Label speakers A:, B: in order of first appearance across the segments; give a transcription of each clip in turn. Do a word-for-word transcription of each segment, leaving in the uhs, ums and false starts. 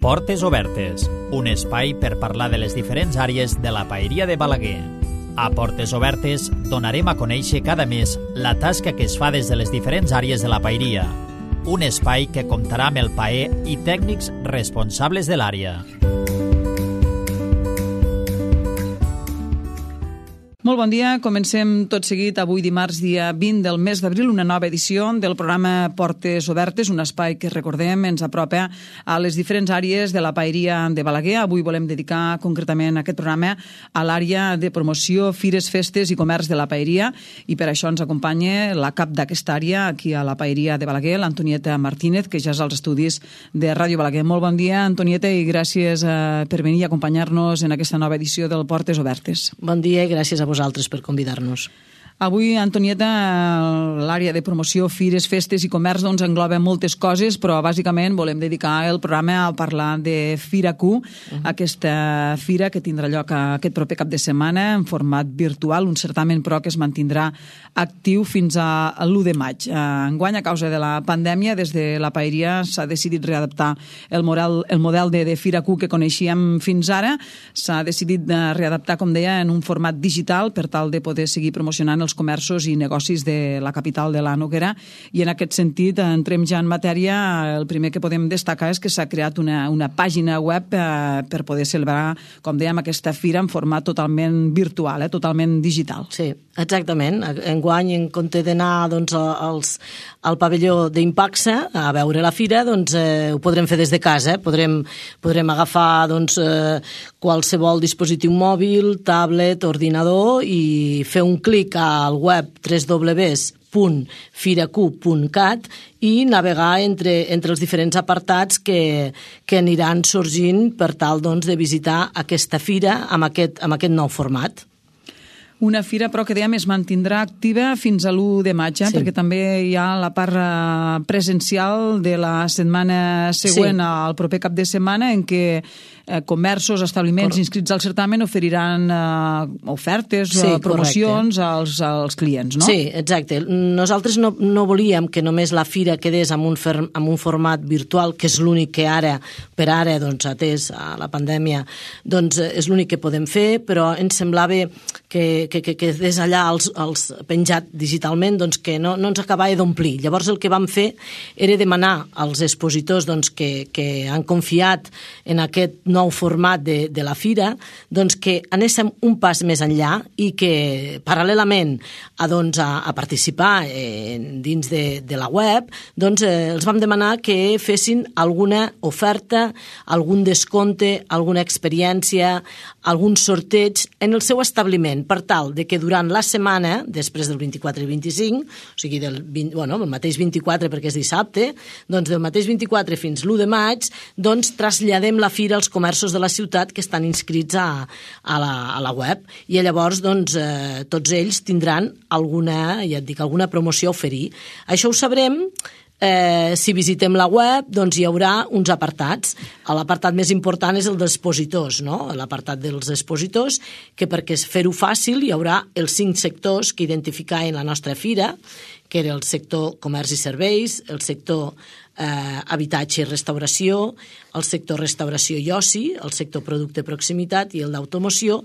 A: Portes Obertes, un espai per parlar de les diferents àrees de la paeria de Balaguer. A Portes Obertes donarem a conèixer cada mes la tasca que es fa des de les diferents àrees de la paeria. Un espai que comptarà amb el paer i tècnics responsables de l'àrea.
B: Molt bon dia, comencem tot seguit avui dimarts dia vint del mes d'abril una nova edició del programa Portes Obertes, un espai que recordem ens apropa a les diferents àrees de la paeria de Balaguer. Avui volem dedicar concretament aquest programa a l'àrea de promoció, fires, festes i comerç de la paeria i per això ens acompanya la cap d'aquesta àrea aquí a la paeria de Balaguer, l'Antonieta Martínez, que ja és als estudis de Ràdio Balaguer. Molt bon dia, Antonieta, i gràcies eh, per venir a acompanyar-nos en aquesta nova edició del Portes Obertes.
C: Bon dia i gràcies a vosaltres. Vosaltres per convidar-nos.
B: Avui, Antonieta, l'àrea de promoció, fires, festes i comerç doncs, engloba moltes coses, però bàsicament volem dedicar el programa a parlar de Fira Q, uh-huh. aquesta fira que tindrà lloc aquest proper cap de setmana en format virtual, un certamen però que es mantindrà actiu fins a l'u de maig. Enguany, a causa de la pandèmia, des de la paeria s'ha decidit readaptar el model, el model de, de Fira Q que coneixíem fins ara. S'ha decidit de readaptar, com deia, en un format digital per tal de poder seguir promocionant els comerços i negocis de la capital de la Noguera, i en aquest sentit entrem ja en matèria. El primer que podem destacar és que s'ha creat una, una pàgina web eh, per poder celebrar, com dèiem, aquesta fira en format totalment virtual, eh, totalment digital.
C: Sí, exactament. Enguany, en compte d'anar doncs, als, al pavelló d'Impaxa a veure la fira, doncs eh, ho podrem fer des de casa. Eh? Podrem, podrem agafar doncs, eh, qualsevol dispositiu mòbil, tablet, ordinador i fer un clic al web w w w punt fira q punt cat i navegar entre, entre els diferents apartats que, que aniran sorgint per tal doncs, de visitar aquesta fira amb aquest, amb aquest nou format.
B: Una fira, però, que dèiem es mantindrà activa fins a l'u de maig, eh? Sí. Perquè també hi ha la part presencial de la setmana següent, sí. al proper cap de setmana, en què eh, comerços, establiments Cor... inscrits al certamen oferiran eh, ofertes, sí, eh, promocions als, als clients, no?
C: Sí, exacte. Nosaltres no, no volíem que només la fira quedés amb un, fer, amb un format virtual, que és l'únic que ara, per ara, doncs, atès a la pandèmia, doncs és l'únic que podem fer, però ens semblava que que, que, que des allà els, els penjat digitalment doncs que no, no ens acabava d'omplir. Llavors el que vam fer era demanar als expositors doncs, que, que han confiat en aquest nou format de, de la fira doncs, que anéssim un pas més enllà i que paral·lelament a, doncs, a, a participar eh, dins de, de la web doncs, eh, els vam demanar que fessin alguna oferta, algun descompte, alguna experiència, algun sorteig en el seu establiment per tal de que durant la setmana, després del vint-i-quatre i vint-i-cinc, o sigui, del vint, bueno, el mateix vint-i-quatre perquè és dissabte, doncs del mateix vint-i-quatre fins l'u de maig, doncs traslladem la fira als comerços de la ciutat que estan inscrits a, a, la, a la web. I llavors, doncs, eh, tots ells tindran alguna, ja et dic, alguna promoció a oferir. Això ho sabrem Eh, si visitem la web, doncs hi haurà uns apartats. L'apartat més important és el dels expositors, no? L'apartat dels expositors, que perquè fer-ho fàcil hi haurà els cinc sectors que identificaven la nostra fira, que era el sector comerç i serveis, el sector eh, habitatge i restauració, el sector restauració i oci, el sector producte proximitat i el d'automoció,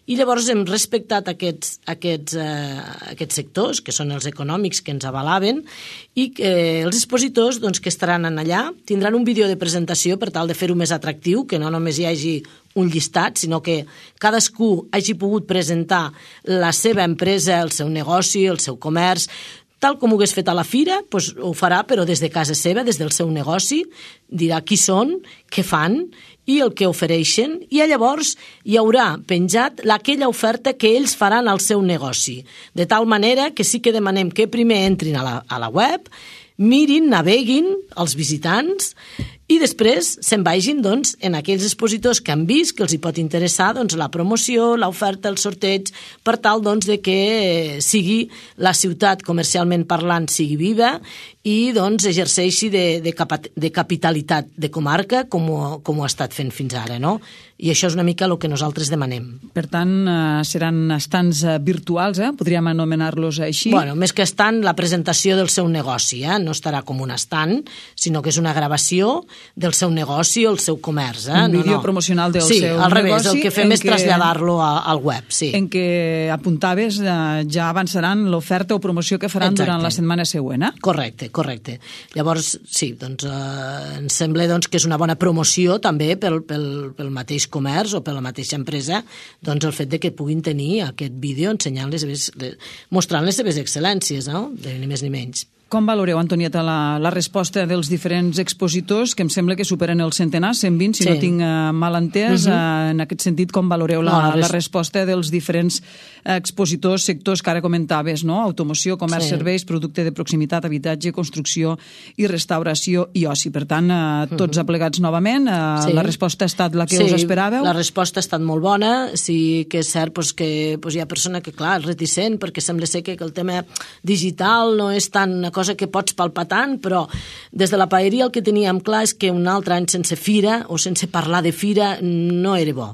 C: i llavors hem respectat aquests, aquests, eh, aquests sectors, que són els econòmics que ens avalaven, i eh, els expositors doncs, que estaran allà tindran un vídeo de presentació per tal de fer-ho més atractiu, que no només hi hagi un llistat, sinó que cadascú hagi pogut presentar la seva empresa, el seu negoci, el seu comerç, tal com ho hagués fet a la fira, doncs ho farà, però des de casa seva, des del seu negoci, dirà qui són, què fan i el que ofereixen, i llavors hi haurà penjat aquella oferta que ells faran al seu negoci. De tal manera que sí que demanem que primer entrin a la, a la web, mirin, naveguin els visitants i després se'n vagin doncs, en aquells expositors que han vist que els hi pot interessar doncs, la promoció, l'oferta, el sorteig, per tal doncs, de que sigui la ciutat comercialment parlant sigui viva i doncs, exerceixi de, de, cap, de capitalitat de comarca com ho, com ho ha estat fent fins ara, no? I això és una mica el que nosaltres demanem.
B: Per tant, eh, seran estants eh, virtuals, eh? Podríem anomenar-los així?
C: Bueno, més que estant, la presentació del seu negoci, eh? No estarà com un estant, sinó que és una gravació del seu negoci o el seu comerç. Eh?
B: Un vídeo
C: no, no.
B: promocional del
C: sí,
B: seu
C: al revés,
B: negoci.
C: el que fem és traslladar-lo al web. Sí.
B: En què apuntaves eh, ja avançaran l'oferta o promoció que faran Exacte. durant la setmana següent. Eh?
C: Correcte, correcte. Llavors, sí, doncs, eh, ens sembla doncs, que és una bona promoció també pel, pel, pel mateix comerç o per la mateixa empresa, doncs el fet de que puguin tenir aquest vídeo ensenyant les seves, mostrant les seves excel·lències, no? Ni més ni menys.
B: Com valoreu, Antonieta, la, la resposta dels diferents expositors, que em sembla que superen el centenar, cent vint, si sí. no tinc uh, mal entès. Uh -huh. uh, en aquest sentit, com valoreu la, no, la, res... la resposta dels diferents expositors, sectors que ara comentaves, no? Automoció, comerç, sí. serveis, producte de proximitat, habitatge, construcció i restauració i oci. Per tant, uh, tots uh -huh. aplegats novament. Uh, sí. La resposta ha estat la que
C: sí,
B: us esperàveu?
C: La resposta ha estat molt bona. Sí que és cert pues, que pues, hi ha persona que, clar, és reticent, perquè sembla ser que, que el tema digital no és tan cosa que pots palpar tant, però des de la paeria el que teníem clar és que un altre any sense fira o sense parlar de fira no era bo.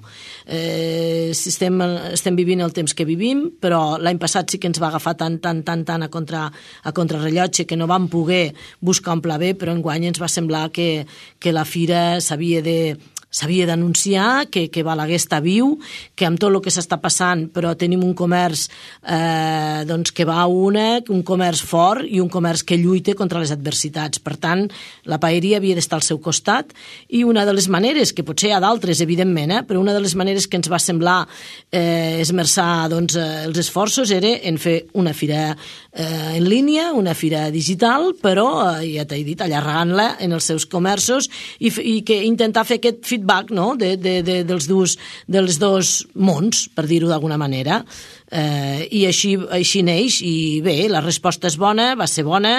C: Eh, estem, estem vivint el temps que vivim, però l'any passat sí que ens va agafar tant, tant, tant, tant a, contra, a contrarrellotge que no vam poder buscar un pla B, però enguany ens va semblar que, que la fira s'havia de s'havia d'anunciar que, que Balaguer està viu, que amb tot el que s'està passant, però tenim un comerç eh, doncs que va a una, un comerç fort i un comerç que lluita contra les adversitats. Per tant, la paeria havia d'estar al seu costat i una de les maneres, que potser hi ha d'altres, evidentment, eh, però una de les maneres que ens va semblar eh, esmerçar doncs, els esforços era en fer una fira eh, en línia, una fira digital, però, eh, ja t'he dit, allargant-la en els seus comerços i, i que intentar fer aquest feedback back, no? de, de, de, dels, dos, dels dos mons, per dir-ho d'alguna manera. Eh, i així, així neix, i bé, la resposta és bona, va ser bona,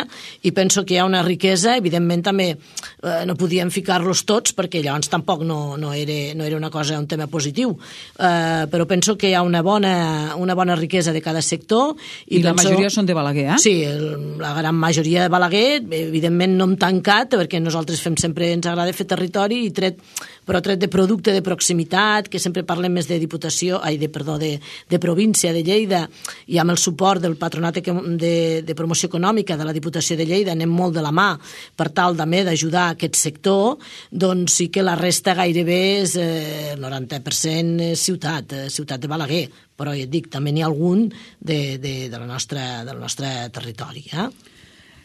C: i penso que hi ha una riquesa. Evidentment també eh, no podíem ficar-los tots, perquè llavors tampoc no, no, era, no era una cosa, un tema positiu, eh, però penso que hi ha una bona, una bona riquesa de cada sector.
B: I, I la penso, majoria són de Balaguer, eh?
C: Sí, el, la gran majoria de Balaguer, evidentment no hem tancat, perquè nosaltres fem sempre, ens agrada fer territori, i tret, però tret de producte de proximitat, que sempre parlem més de diputació, ai, de, perdó, de, de província, de Lleida, i amb el suport del Patronat de, de Promoció Econòmica de la Diputació de Lleida anem molt de la mà per tal també d'ajudar aquest sector, doncs sí que la resta gairebé és eh, el noranta per cent ciutat, eh, ciutat de Balaguer, però ja et dic, també n'hi ha algun de, de, de la nostra, del nostre territori, eh?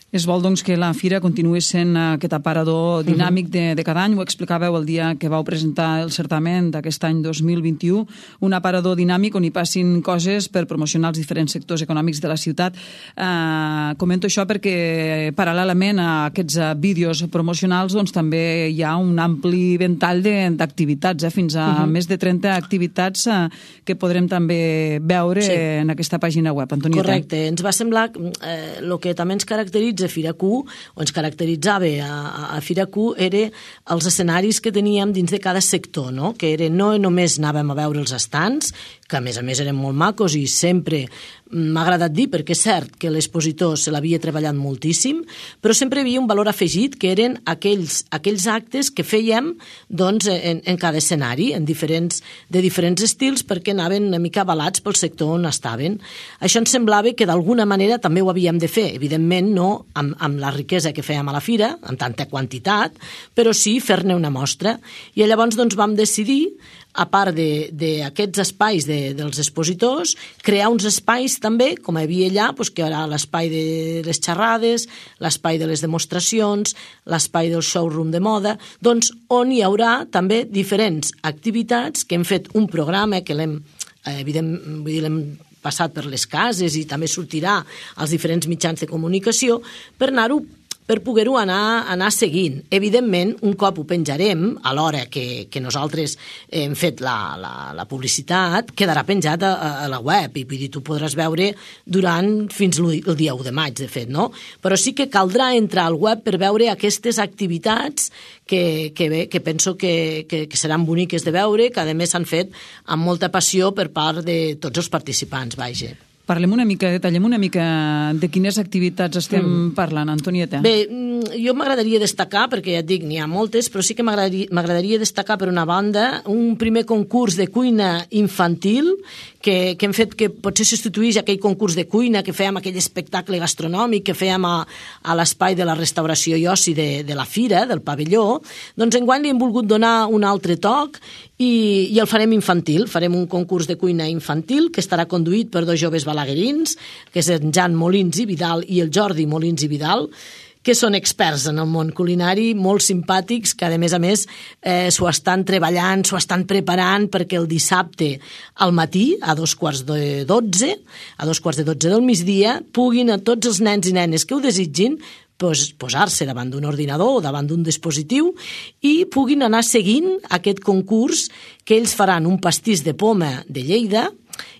B: Es vol, doncs, que la fira continuï sent aquest aparador dinàmic de, de cada any. Ho explicàveu el dia que vau presentar el certament d'aquest any dos mil vint-i-u, un aparador dinàmic on hi passin coses per promocionar els diferents sectors econòmics de la ciutat. Eh, comento això perquè, paral·lelament a aquests vídeos promocionals, doncs, també hi ha un ampli ventall d'activitats, eh, fins a uh -huh. més de trenta activitats eh, que podrem també veure sí. en aquesta pàgina web. Antonieta.
C: Correcte. Ens va semblar eh, el que també ens caracteritza a Fira-Q, o ens caracteritzava a, a Fira-Q, era els escenaris que teníem dins de cada sector, no? Que era, no només anàvem a veure els estants, que a més a més eren molt macos i sempre m'ha agradat dir, perquè és cert que l'expositor se l'havia treballat moltíssim, però sempre hi havia un valor afegit, que eren aquells, aquells actes que fèiem doncs, en, en cada escenari, en diferents, de diferents estils, perquè anaven una mica avalats pel sector on estaven. Això ens semblava que d'alguna manera també ho havíem de fer, evidentment no amb, amb la riquesa que fèiem a la fira, amb tanta quantitat, però sí fer-ne una mostra. I llavors doncs, vam decidir, a part d'aquests espais de, dels expositors, crear uns espais també, com hi havia allà, doncs, que era l'espai de les xerrades, l'espai de les demostracions, l'espai del showroom de moda, doncs on hi haurà també diferents activitats que hem fet un programa que l'hem, eh, evident, vull dir, l'hem passat per les cases i també sortirà als diferents mitjans de comunicació per anar-ho per poder-ho anar, anar seguint. Evidentment, un cop ho penjarem, a l'hora que, que nosaltres hem fet la, la, la publicitat, quedarà penjat a, a la web, i vull dir, tu podràs veure durant fins el dia u de maig, de fet, no? Però sí que caldrà entrar al web per veure aquestes activitats que, que, bé, que penso que, que, que seran boniques de veure, que a més s'han fet amb molta passió per part de tots els participants, vaja.
B: Parlem una mica, detallem una mica de quines activitats estem mm. parlant, Antonieta.
C: Bé, jo m'agradaria destacar, perquè ja et dic, n'hi ha moltes, però sí que m'agradaria destacar, per una banda, un primer concurs de cuina infantil que, que hem fet, que potser substituïx aquell concurs de cuina que fèiem, aquell espectacle gastronòmic que fèiem a, a l'espai de la restauració i oci de, de la fira, del pavelló. Doncs enguany li hem volgut donar un altre toc i, i el farem infantil. Farem un concurs de cuina infantil que estarà conduït per dos joves balaguerins, que és en Jan Molins i Vidal i el Jordi Molins i Vidal, que són experts en el món culinari, molt simpàtics, que a més a més eh, s'ho estan treballant, s'ho estan preparant perquè el dissabte al matí, a dos quarts de dotze, a dos quarts de dotze del migdia, puguin a tots els nens i nenes que ho desitgin pues, posar-se davant d'un ordinador o davant d'un dispositiu i puguin anar seguint aquest concurs que ells faran un pastís de poma de Lleida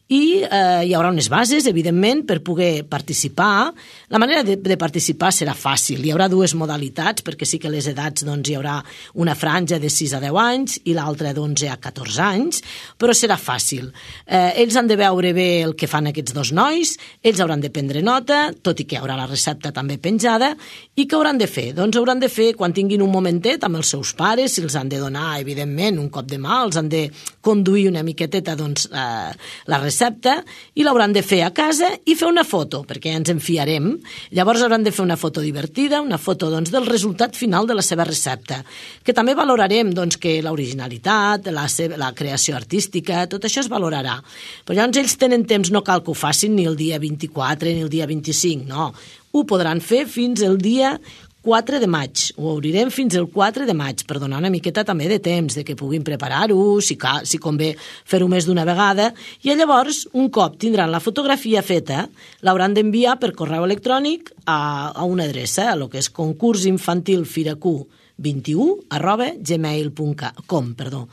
C: i eh, hi haurà unes bases, evidentment, per poder participar. La manera de, de participar serà fàcil. Hi haurà dues modalitats, perquè sí que les edats doncs, hi haurà una franja de sis a deu anys i l'altra d'onze a catorze anys, però serà fàcil. Eh, ells han de veure bé el que fan aquests dos nois, ells hauran de prendre nota, tot i que hi haurà la recepta també penjada, i què hauran de fer? Doncs hauran de fer, quan tinguin un momentet amb els seus pares, si els han de donar, evidentment, un cop de mà, els han de conduir una miqueteta doncs, eh, la recepta, i l'hauran de fer a casa i fer una foto, perquè ens en fiarem. Llavors hauran de fer una foto divertida, una foto doncs, del resultat final de la seva recepta, que també valorarem doncs, que l'originalitat, la, seva, la creació artística, tot això es valorarà. Però llavors ells tenen temps, no cal que ho facin ni el dia vint-i-quatre ni el dia vint-i-cinc, no. Ho podran fer fins el dia quatre de maig, ho obrirem fins al quatre de maig, per donar una miqueta també de temps, de que puguin preparar-ho, si, si convé fer-ho més d'una vegada, i llavors, un cop tindran la fotografia feta, l'hauran d'enviar per correu electrònic a, a una adreça, a lo que és concursinfantilfiracu vint-i-u arroba gmail punt com, perdó.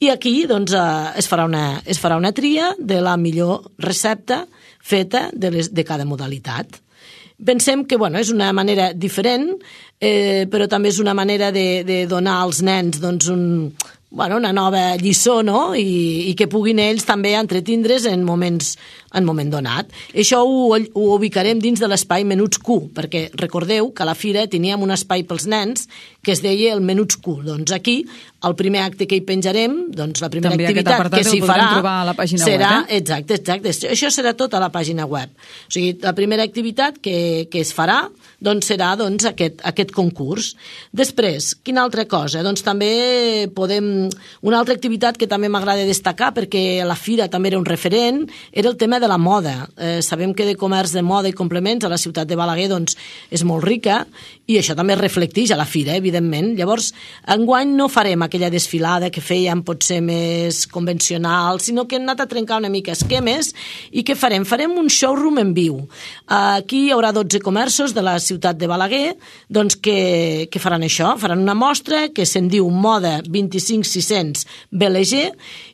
C: I aquí doncs, es, farà una, es farà una tria de la millor recepta feta de, les, de cada modalitat. Pensem que bueno, és una manera diferent, eh, però també és una manera de, de donar als nens doncs, un, bueno, una nova lliçó, no? I, i que puguin ells també entretindre's en moments en moment donat. Això ho, ho ubicarem dins de l'espai Menuts Q, perquè recordeu que a la fira teníem un espai pels nens que es deia el Menuts Q. Doncs aquí, el primer acte que hi penjarem, doncs la primera
B: també
C: activitat que s'hi farà
B: a la pàgina
C: serà,
B: web, eh?
C: exacte, exacte, això serà tot a la pàgina web. O sigui, la primera activitat que, que es farà doncs serà doncs, aquest, aquest concurs. Després, quina altra cosa? Doncs també podem... Una altra activitat que també m'agrada destacar, perquè la fira també era un referent, era el tema de la moda. Eh, sabem que de comerç de moda i complements a la ciutat de Balaguer doncs, és molt rica i això també es reflecteix a la fira, evidentment. Llavors, enguany no farem aquella desfilada que fèiem potser més convencional, sinó que hem anat a trencar una mica esquemes i què farem? Farem un showroom en viu. Aquí hi haurà dotze comerços de la ciutat de Balaguer doncs, que, que faran això, faran una mostra que se'n diu Moda vint-i-cinc sis-cents B L G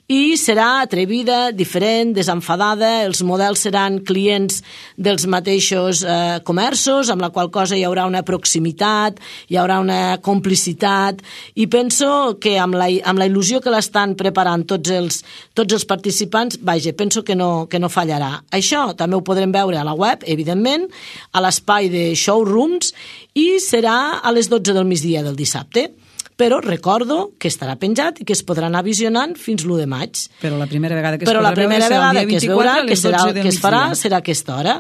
C: i serà atrevida, diferent, desenfadada, els models seran clients dels mateixos eh, comerços, amb la qual cosa hi haurà una proximitat, hi haurà una complicitat, i penso que amb la, amb la il·lusió que l'estan preparant tots els, tots els participants, vaja, penso que no, que no fallarà. Això també ho podrem veure a la web, evidentment, a l'espai de showrooms, i serà a les dotze del migdia del dissabte. Però recordo que estarà penjat i que es podrà anar visionant fins l'u de maig.
B: Però la primera vegada que es,
C: Però la primera vegada que es veurà, que, serà, que es farà,
B: migdia.
C: serà a aquesta hora.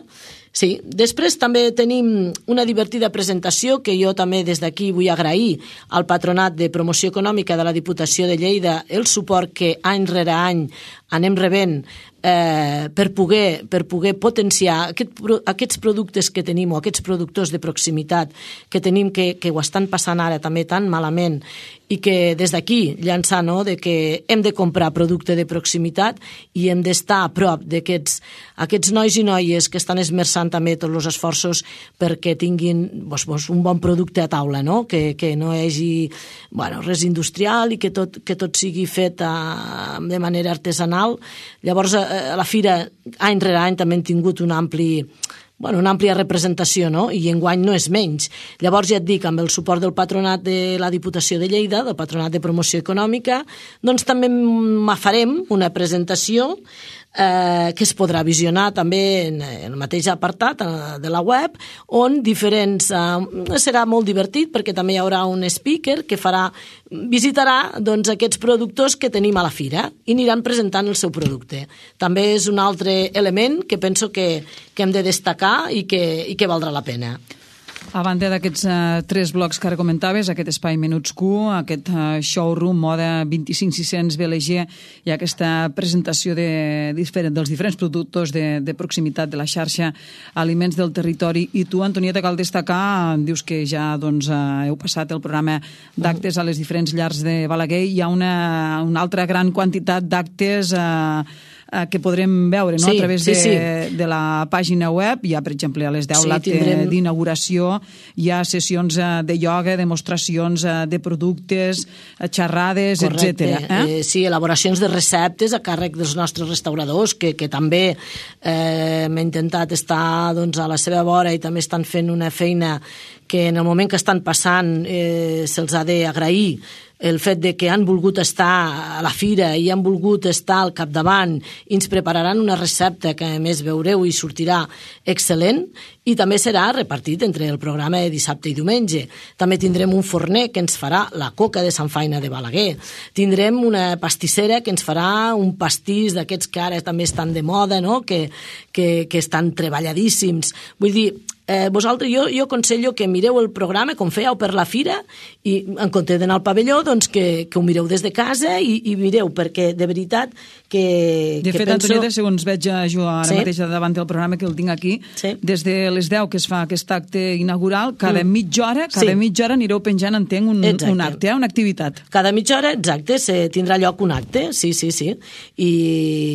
C: Sí, després també tenim una divertida presentació que jo també des d'aquí vull agrair al Patronat de Promoció Econòmica de la Diputació de Lleida el suport que any rere any anem rebent eh, per, poder, per poder potenciar aquest, aquests productes que tenim o aquests productors de proximitat que tenim que, que ho estan passant ara també tan malament i que des d'aquí llançar no, de que hem de comprar producte de proximitat i hem d'estar a prop d'aquests aquests nois i noies que estan esmerçant també tots els esforços perquè tinguin doncs, doncs, un bon producte a taula, no? que, que no hi hagi bueno, res industrial i que tot, que tot sigui fet a, de manera artesanal. Llavors, a la fira, any rere any, també hem tingut un ampli... Bueno, una àmplia representació, no? I enguany no és menys. Llavors, ja et dic, amb el suport del Patronat de la Diputació de Lleida, del Patronat de Promoció Econòmica, doncs també farem una presentació eh, que es podrà visionar també en, en el mateix apartat de la web, on diferents... Eh, serà molt divertit perquè també hi haurà un speaker que farà, visitarà doncs, aquests productors que tenim a la fira i aniran presentant el seu producte. També és un altre element que penso que, que hem de destacar i que, i que valdrà la pena.
B: A banda d'aquests uh, tres blocs que ara comentaves, aquest espai Menuts Q, aquest uh, showroom Moda vint-i-cinc sis cents B L G i aquesta presentació de, diferent, dels diferents productors de, de proximitat de la xarxa Aliments del Territori. I tu, Antonieta, cal destacar, dius que ja doncs, uh, heu passat el programa d'actes a les diferents llars de Balaguer. Hi ha una, una altra gran quantitat d'actes uh, que podrem veure, no?
C: Sí,
B: a través
C: sí,
B: de,
C: sí.
B: de la pàgina web. Hi ha, per exemple, a les deu
C: sí,
B: l'acte
C: tindrem...
B: d'inauguració, hi ha sessions de ioga, demostracions de productes, xerrades, etcètera. Eh?
C: Eh, sí, elaboracions de receptes a càrrec dels nostres restauradors, que, que també eh, hem intentat estar doncs, a la seva vora i també estan fent una feina que en el moment que estan passant eh, se'ls ha d'agrair el fet de que han volgut estar a la fira i han volgut estar al capdavant i ens prepararan una recepta que a més veureu i sortirà excel·lent i també serà repartit entre el programa de dissabte i diumenge. També tindrem un forner que ens farà la coca de Sant Faina de Balaguer. Tindrem una pastissera que ens farà un pastís d'aquests que ara també estan de moda, no? que, que, que estan treballadíssims. Vull dir, Eh, vosaltres, jo, jo aconsello que mireu el programa com fèieu per la fira i en compte d'anar al pavelló doncs que, que ho mireu des de casa i, i mireu, perquè de veritat que,
B: de
C: que
B: fet,
C: penso...
B: Antonieta, segons veig jo ara
C: sí.
B: mateix davant del programa que el tinc aquí,
C: sí.
B: des de les deu que es fa aquest acte inaugural, cada mm. mitja hora cada
C: sí.
B: mitja hora anireu penjant, entenc, un, un acte, eh? Una activitat.
C: Cada mitja hora, exacte, se tindrà lloc un acte, sí, sí, sí. I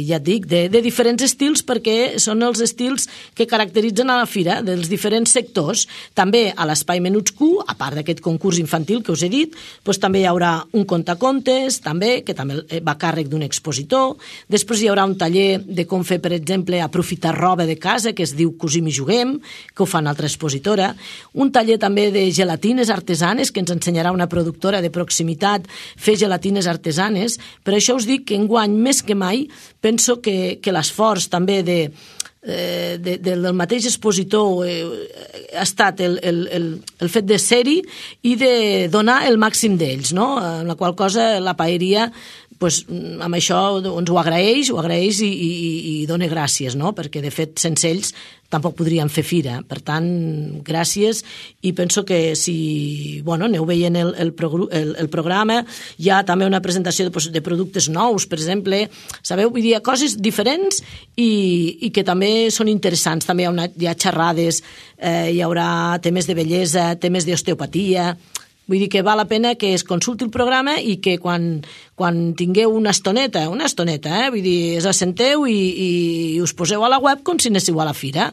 C: ja et dic, de, de diferents estils, perquè són els estils que caracteritzen a la fira, dels diferents sectors. També a l'Espai Menuts Q, a part d'aquest concurs infantil que us he dit, doncs també hi haurà un contacontes, també, que també va a càrrec d'un expositor. Després hi haurà un taller de com fer, per exemple, aprofitar roba de casa, que es diu Cosim i Juguem, que ho fa una altra expositora. Un taller també de gelatines artesanes, que ens ensenyarà una productora de proximitat fer gelatines artesanes. Per això us dic que enguany, més que mai, penso que, que l'esforç també de Eh, de, de, del mateix expositor eh, ha estat el, el, el, el fet de ser-hi i de donar el màxim d'ells, no? En la qual cosa la paeria pues, amb això ens ho agraeix, ho agraeix i, i, i dona gràcies, no? Perquè de fet sense ells tampoc podríem fer fira. Per tant, gràcies, i penso que si bueno, aneu veient el, el, el, el programa, hi ha també una presentació de, de productes nous, per exemple, sabeu, vull dir, coses diferents i, i que també són interessants. També hi ha, una, hi ha xerrades, eh, hi haurà temes de bellesa, temes d'osteopatia. Vull dir que val la pena que es consulti el programa i que quan, quan tingueu una estoneta, una estoneta, eh? Vull dir, us assenteu i, i us poseu a la web com si anéssiu a la fira.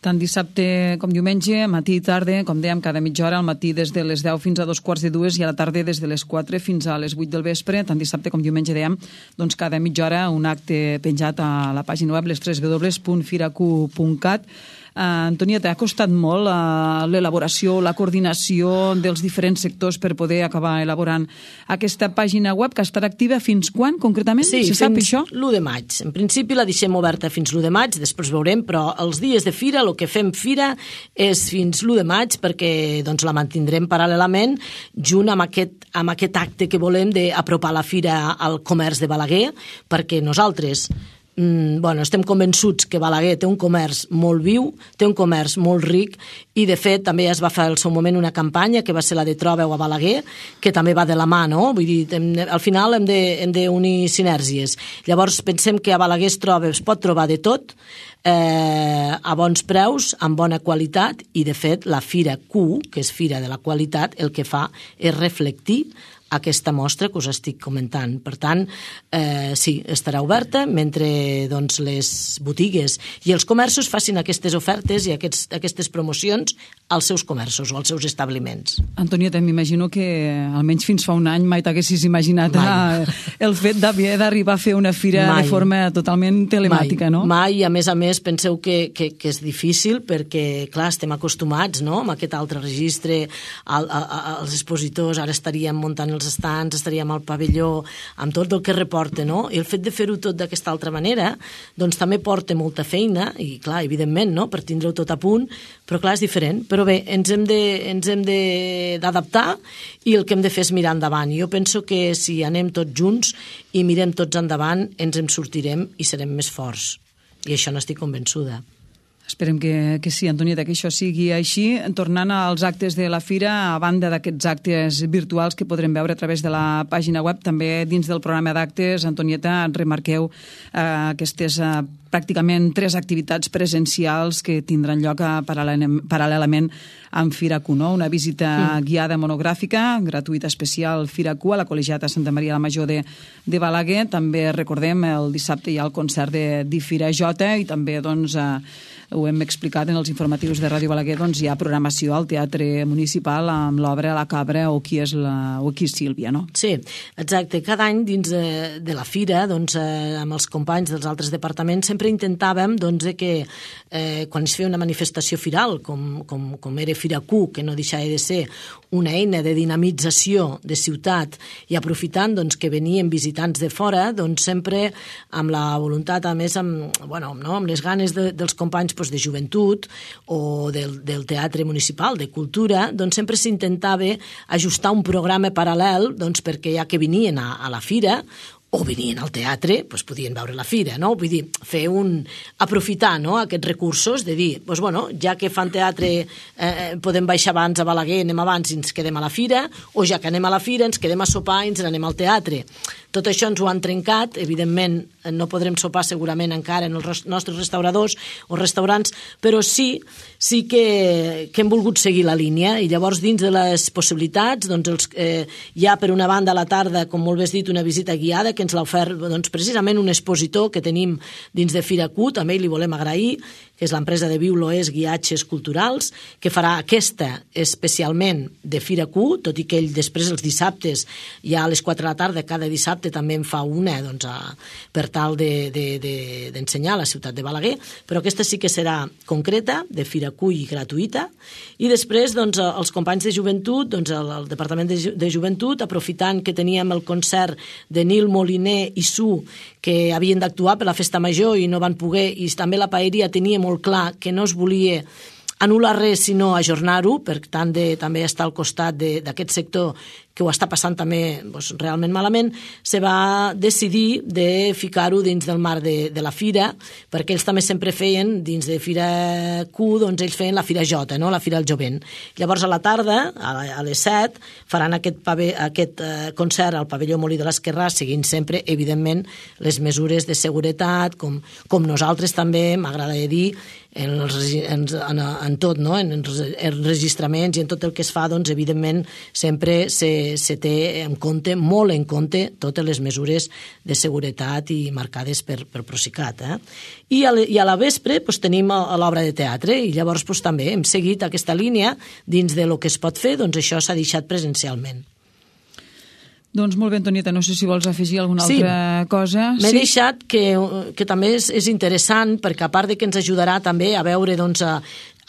B: Tant dissabte com diumenge, matí i tarda, com dèiem, cada mitja hora, al matí des de les deu fins a dos quarts de dues i a la tarda des de les quatre fins a les vuit del vespre, tant dissabte com diumenge, dèiem, doncs cada mitja hora un acte penjat a la pàgina web les tres w punt firacu punt cat. Uh, Antonieta, ha costat molt uh, l'elaboració, la coordinació dels diferents sectors per poder acabar elaborant aquesta pàgina web, que estarà activa fins quan, concretament?
C: Sí,
B: se sap això?
C: l'u de maig. En principi la deixem oberta fins l'u de maig, després veurem, però els dies de fira, el que fem fira és fins l'u de maig, perquè doncs, la mantindrem paral·lelament junt amb aquest, amb aquest acte que volem d'apropar la fira al comerç de Balaguer, perquè nosaltres bueno, estem convençuts que Balaguer té un comerç molt viu, té un comerç molt ric i, de fet, també es va fer al seu moment una campanya que va ser la de Trobeu a Balaguer, que també va de la mà, no? Vull dir, hem, al final hem de, hem d'unir sinergies. Llavors, pensem que a Balaguer es troba, es pot trobar de tot, eh, a bons preus, amb bona qualitat, i, de fet, la Fira Q, que és Fira de la Qualitat, el que fa és reflectir aquesta mostra que us estic comentant. Per tant, eh, sí, estarà oberta mentre doncs, les botigues i els comerços facin aquestes ofertes i aquests, aquestes promocions als seus comerços o als seus establiments.
B: Antonieta, m'imagino que almenys fins fa un any mai t'haguessis imaginat a, el fet d'haver d'arribar a fer una fira mai. De forma totalment telemàtica,
C: mai.
B: no?
C: Mai, i a més a més penseu que, que, que és difícil perquè, clar, estem acostumats, no?, amb aquest altre registre, al, a, a, als expositors, ara estaríem muntant el els estants, estaríem al pavelló, amb tot el que reporta, no? I el fet de fer-ho tot d'aquesta altra manera, doncs també porta molta feina, i clar, evidentment, no?, per tindre-ho tot a punt, però clar, és diferent. Però bé, ens hem de, ens hem d'adaptar i el que hem de fer és mirar endavant. Jo penso que si anem tots junts i mirem tots endavant, ens en sortirem i serem més forts. I això n'estic convençuda.
B: Esperem que, que sí, Antonieta, que això sigui així. Tornant als actes de la Fira, a banda d'aquests actes virtuals que podrem veure a través de la pàgina web, també dins del programa d'actes, Antonieta, remarqueu eh, aquestes eh, pràcticament tres activitats presencials que tindran lloc a, paral·lelament amb Fira-Q, no? Una visita mm. guiada monogràfica, gratuïta especial Fira-Q a la Col·legiata Santa Maria la Major de, de Balaguer. També recordem, el dissabte hi ha el concert de, de Fira J i també, doncs, eh, ho hem explicat en els informatius de Ràdio Balaguer, doncs hi ha programació al Teatre Municipal amb l'obra La Cabra o Qui és, la, o qui és Sílvia, no?
C: Sí, exacte. Cada any dins de, de la Fira, doncs, eh, amb els companys dels altres departaments, sempre intentàvem doncs, que eh, quan es feia una manifestació firal, com, com, com era Fira-Q, que no deixava de ser una eina de dinamització de ciutat i aprofitant doncs, que venien visitants de fora, doncs sempre amb la voluntat, a més, amb, bueno, no? amb les ganes de, dels companys doncs, de joventut o del, del teatre municipal, de cultura, doncs sempre s'intentava ajustar un programa paral·lel doncs, perquè ja que venien a, a la Fira o venien al teatre, doncs podien veure la Fira, no? Vull dir, fer un... aprofitar, no?, aquests recursos de dir, doncs, bueno, ja que fan teatre eh, podem baixar abans a Balaguer, anem abans i ens quedem a la Fira, o ja que anem a la Fira ens quedem a sopar i ens n'anem al teatre. Tot això ens ho han trencat, evidentment no podrem sopar segurament encara en els nostres restauradors o restaurants, però sí, sí que, que hem volgut seguir la línia i llavors dins de les possibilitats doncs els, eh, hi ha per una banda a la tarda, com molt bé has dit, una visita guiada que ens l'ha ofert doncs, precisament un expositor que tenim dins de Fira-Q, també li volem agrair, que és l'empresa de Viu l'Oest Guiatges Culturals, que farà aquesta especialment de Fira-Q, tot i que ell després els dissabtes, ja a les quatre de la tarda, cada dissabte també en fa una doncs, a, per tal d'ensenyar de, de, de, a la ciutat de Balaguer, però aquesta sí que serà concreta, de Fira-Q i gratuïta, i després doncs, els companys de joventut, doncs, el, el Departament de, de Joventut, aprofitant que teníem el concert de Nil Moliner i Su, que havien d'actuar per la festa major i no van poder, i també la paeria tenia molt clar que no es volia anul·lar res sinó ajornar-ho, per tant de, també estar al costat d'aquest sector que ho està passant també doncs, realment malament, se va decidir de ficar-ho dins del marc de, de la Fira, perquè ells també sempre feien, dins de Fira-Q, doncs ells feien la Fira J, no? La Fira del Jovent. Llavors a la tarda, a, a les set, faran aquest, pave, aquest uh, concert al pavelló Molí de l'Esquerrà, seguint sempre, evidentment, les mesures de seguretat, com, com nosaltres també, m'agradaria dir, en, els, en, en, en tot, no? en, en registraments i en tot el que es fa, doncs, evidentment, sempre se, se té en compte, molt en compte, totes les mesures de seguretat i marcades per, per Procicat. Eh? I, a, I a la vespre doncs, tenim l'obra de teatre i llavors doncs, també hem seguit aquesta línia dins de lo que es pot fer, doncs això s'ha deixat presencialment.
B: Doncs molt bé, Antonieta, no sé si vols afegir alguna
C: sí.
B: altra cosa.
C: M'he
B: sí?
C: deixat que, que també és, és interessant, perquè a part de que ens ajudarà també a veure, doncs, a,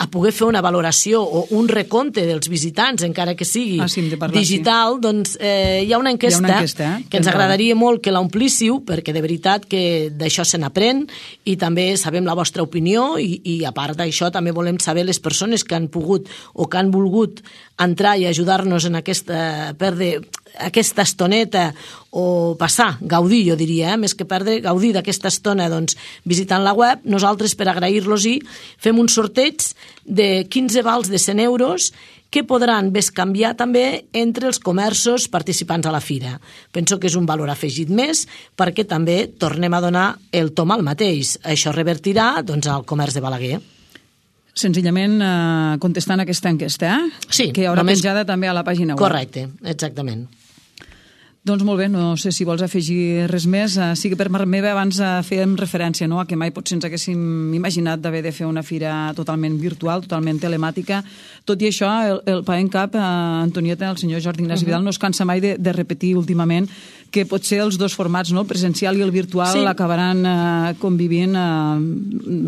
C: a poder fer una valoració o un recompte dels visitants, encara que sigui
B: ah, sí, parlar,
C: digital, sí. doncs eh, hi ha una enquesta,
B: ha una enquesta eh?
C: que ens agradaria molt que l'omplíssiu, perquè de veritat que d'això se n'aprèn i també sabem la vostra opinió i, i a part d'això també volem saber les persones que han pogut o que han volgut entrar i ajudar-nos en aquesta perdre aquesta estoneta o passar, gaudir, jo diria, eh? més que perdre, gaudir d'aquesta estona doncs, visitant la web. Nosaltres, per agrair-los-hi, fem un sorteig de quinze vals de cent euros que podran bescanviar també entre els comerços participants a la Fira. Penso que és un valor afegit més perquè també tornem a donar el tom al mateix. Això revertirà doncs, al comerç de Balaguer.
B: Senzillament eh, contestant aquesta enquesta, eh?
C: Sí.
B: Que hi haurà
C: només...
B: penjada també a la pàgina web.
C: Correcte, exactament.
B: Doncs molt bé, no sé si vols afegir res més. Uh, sí que per part meva abans uh, fèiem referència, no?, a que mai potser ens haguéssim imaginat d'haver de fer una fira totalment virtual, totalment telemàtica. Tot i això, el, el Pa en Cap, uh, Antonieta, el senyor Jordi Ignasi uh -huh. Vidal, no es cansa mai de, de repetir últimament que potser els dos formats, no? El presencial i el virtual, sí. acabaran eh, convivint eh,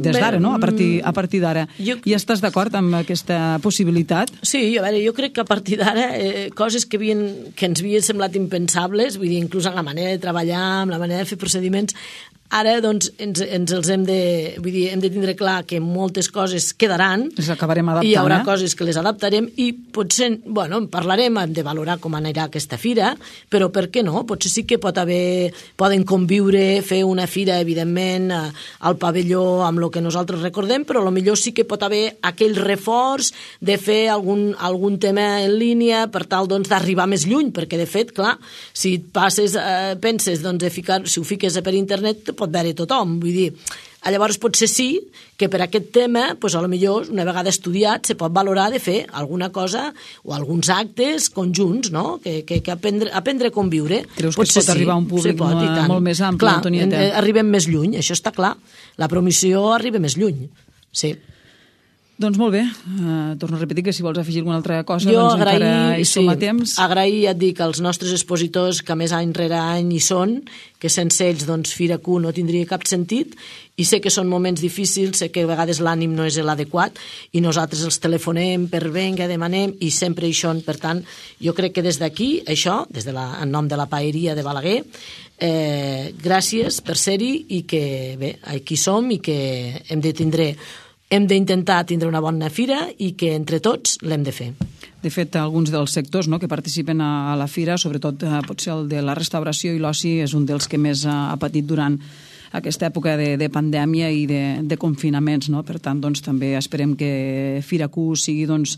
B: des d'ara, no? A partir, a partir d'ara. Jo... I estàs d'acord amb aquesta possibilitat?
C: Sí, a veure, jo crec que a partir d'ara eh, coses que, havien, que ens havien semblat impensables, vull dir, inclús en la manera de treballar, amb la manera de fer procediments, ara, doncs, ens, ens els hem de, vull dir, hem de tindre clar que moltes coses quedaran.
B: Les acabarem adaptant,
C: i hi haurà
B: eh?
C: coses que les adaptarem i potser, bueno, en parlarem, hem de valorar com anirà aquesta fira, però per què no? Potser sí que pot haver, poden conviure, fer una fira, evidentment, al pavelló amb el que nosaltres recordem, però potser sí que pot haver aquell reforç de fer algun, algun tema en línia per tal, doncs, d'arribar més lluny, perquè, de fet, clar, si et passes, eh, penses, doncs, de ficar, si ho fiques per internet, pot veure tothom, vull dir, llavors potser sí que per aquest tema, doncs, a lo millor, una vegada estudiat, se pot valorar de fer alguna cosa o alguns actes conjunts, no? Que, que, que aprendre, aprendre a conviure.
B: Creus que potser es pot sí, arribar a un públic pot, molt, molt més ampli,
C: clar,
B: Antonieta?
C: Arribem més lluny, això està clar. La promoció arriba més lluny, sí.
B: Doncs molt bé, uh, torno a repetir que si vols afegir alguna altra cosa,
C: jo
B: doncs
C: agrair,
B: encara hi som
C: sí,
B: a temps.
C: Agrair, ja et dic, als nostres expositors que a més any rere any hi són, que sense ells doncs Fira Q no tindria cap sentit, i sé que són moments difícils, sé que a vegades l'ànim no és l'adequat, i nosaltres els telefonem per venga, demanem, i sempre hi són. Per tant, jo crec que des d'aquí, això, des de la, en nom de la Paeria de Balaguer, eh, gràcies per ser-hi, i que, bé, aquí som, i que hem de tindre hem d'intentar tindre una bona fira i que entre tots l'hem de fer.
B: De fet, alguns dels sectors, no, que participen a la fira, sobretot eh, potser el de la restauració i l'oci, és un dels que més ha, ha patit durant aquesta època de, de pandèmia i de, de confinaments, no? Per tant, doncs, també esperem que Fira Q sigui, doncs,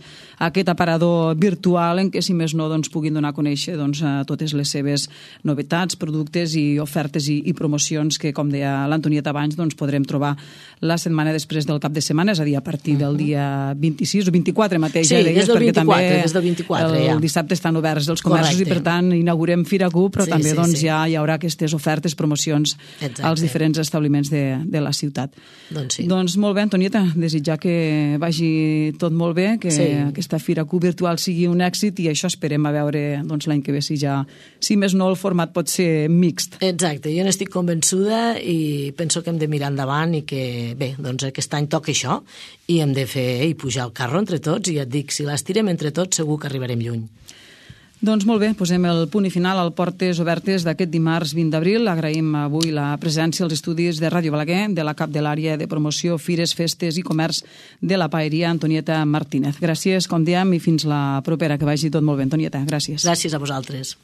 B: aquest aparador virtual en què, si més no, doncs, puguin donar a conèixer, doncs, a totes les seves novetats, productes i ofertes i, i promocions que, com deia l'Antonieta abans, doncs, podrem trobar la setmana després del cap de setmana, és a dir, a partir del dia vint-i-sis o vint-i-quatre mateix.
C: Sí,
B: ja deies,
C: des del
B: vint-i-quatre,
C: també des del vint-i-quatre,
B: el
C: ja.
B: dissabte estan oberts els comerços. Correcte. I, per tant, inaugurem Fira Q, però
C: sí,
B: també
C: sí,
B: doncs,
C: sí.
B: ja hi haurà aquestes ofertes, promocions Exacte. Als diferents establiments de, de la ciutat.
C: Doncs sí.
B: Doncs molt bé, Antonieta, desitjar que vagi tot molt bé, que sí. aquesta Fira Q virtual sigui un èxit, i això esperem a veure doncs, l'any que ve si ja, si més no el format pot ser mixt.
C: Exacte, jo n'estic convençuda i penso que hem de mirar endavant i que, bé, doncs aquest any toca això i hem de fer i pujar el carro entre tots, i ja et dic, si l'estirem entre tots segur que arribarem lluny.
B: Doncs molt bé, posem el punt i final al Portes Obertes d'aquest dimarts vint d'abril. Agraïm avui la presència als estudis de Ràdio Balaguer, de la cap de l'àrea de promoció, fires, festes i comerç de la Paeria, Antonieta Martínez. Gràcies, com diem, i fins la propera. Que vagi tot molt bé, Antonieta. Gràcies.
C: Gràcies a vosaltres.